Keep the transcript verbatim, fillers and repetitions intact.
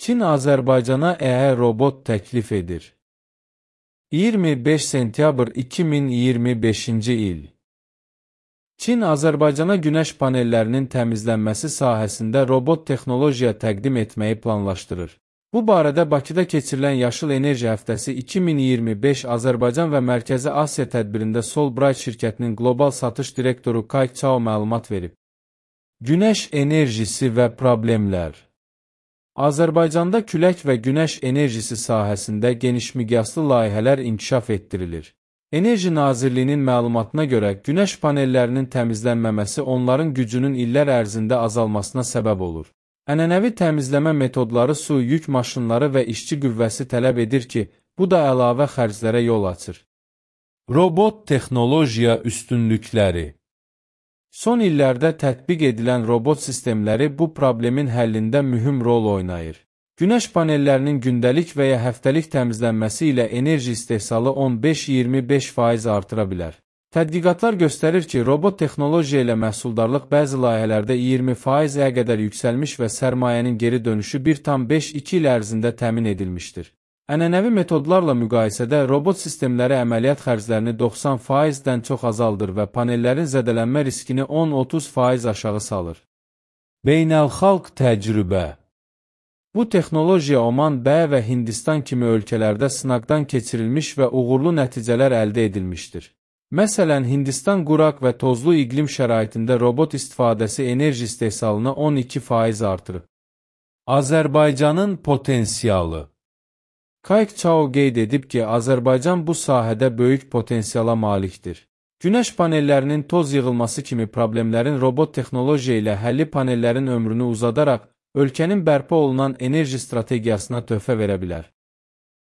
Çin Azərbaycana E E robot təklif edir. iyirmi beş sentyabr iki min iyirmi beşinci il. Çin Azərbaycana günəş panellərinin təmizlənməsi sahəsində robot texnologiya təqdim etməyi planlaşdırır. Bu barədə Bakıda keçirilən Yaşıl Enerji Həftəsi iki min iyirmi beş Azərbaycan və Mərkəzi Asiya tədbirində Solbright şirkətinin qlobal satış direktoru Kayk Chao məlumat verib. Günəş enerjisi və problemlər. Azərbaycanda külək və günəş enerjisi sahəsində genişmiqyaslı layihələr inkişaf etdirilir. Enerji Nazirliyinin məlumatına görə günəş panellərinin təmizlənməməsi onların gücünün illər ərzində azalmasına səbəb olur. Ənənəvi təmizləmə metodları su, yük maşınları və işçi qüvvəsi tələb edir ki, bu da əlavə xərclərə yol açır. Robot texnologiya üstünlükləri. Son illərdə tətbiq edilən robot sistemləri bu problemin həllində mühüm rol oynayır. Günəş panellərinin gündəlik və ya həftəlik təmizlənməsi ilə enerji istehsalı on beş iyirmi beş faiz artıra bilər. Tədqiqatlar göstərir ki, robot texnologiya ilə məhsuldarlıq bəzi layihələrdə iyirmi faizə qədər yüksəlmiş və sərmayənin geri dönüşü bir tam beş iki il ərzində təmin edilmişdir. Ənənəvi metodlarla müqayisədə robot sistemləri əməliyyat xərclərini doxsan faizdən çox azaldır və panellərin zədələnmə riskini on otuz faiz aşağı salır. Beynəlxalq təcrübə. Bu texnologiya Oman, B və Hindistan kimi ölkələrdə sınaqdan keçirilmiş və uğurlu nəticələr əldə edilmişdir. Məsələn, Hindistan quraq və tozlu iqlim şəraitində robot istifadəsi enerji istehsalını on iki faiz artırıb. Azərbaycanın potensialı. Kayk Chao qeyd edib ki, Azərbaycan bu sahədə böyük potensiala malikdir. Günəş panellərinin toz yığılması kimi problemlərin robot texnologiya ilə həlli panellərin ömrünü uzadaraq, ölkənin bərpa olunan enerji strategiyasına töhfə verə bilər.